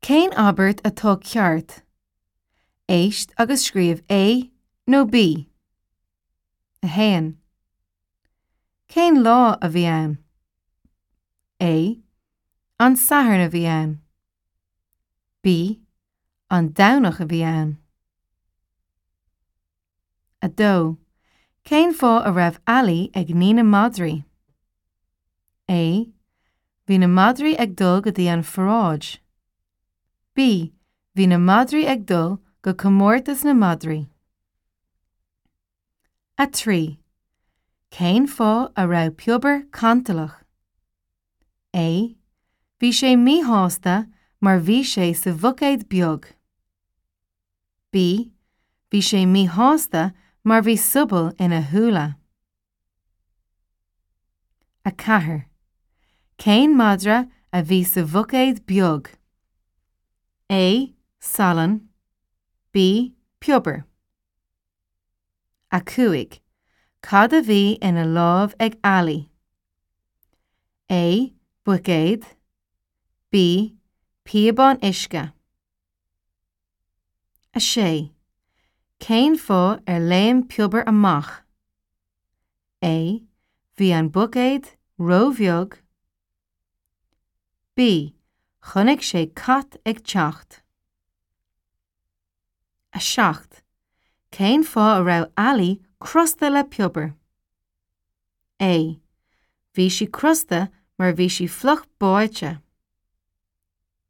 Cén abairt atá ceart? Éist agus scríobh A nó B. 1. Cén lá a bhí ann? A. An Satharn a bhí ann. B. An Domhnach a bhí ann. 2. Cén fáth a raibh Ali ag ní na madraí? A. Bhí na madraí ag dul go dtí an pharáid. B. Bhí na madraí ag dul go comórtas na madraí. 3. Cén fáth a raibh Piobar cantalach? A. Bhí sé míshásta mar bhí sé sa bhuicéad beag. B. Bhí sé míshásta mar bhí sobal ina shúile. 4. Cén madra a bhí sa bhuicéad beag? A. Salann B. Piobar 5. Cad a bhí ina lámh ag Ali? A. Buicéad B. Píobán uisce. 6. Cén fáth ar léim Piobar amach? A. Bhí an buicéad róbheag. B. Chonaic sé cat ag teacht. 7. Cén fáth a raibh Ali crosta le Piobar? A. Bhí sí crosta mar bhí sí fliuch báite.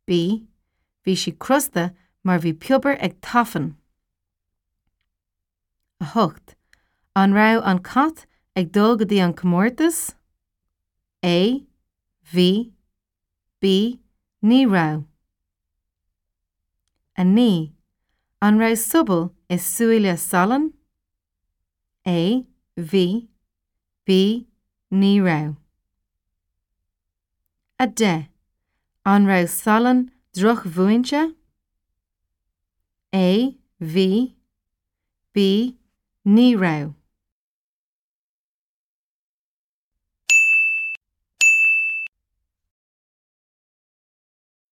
B. Bhí sí crosta mar bhí Piobar ag tafann. 8. An raibh an cat ag dul go dtí an comórtas? A. Bhí. B. Ní raibh. 9. An raibh sobal i súile Salann? A. Bhí. B. Ní raibh. 10. An raibh Salann drochmhúinte? A. Bhí. B. Ní raibh.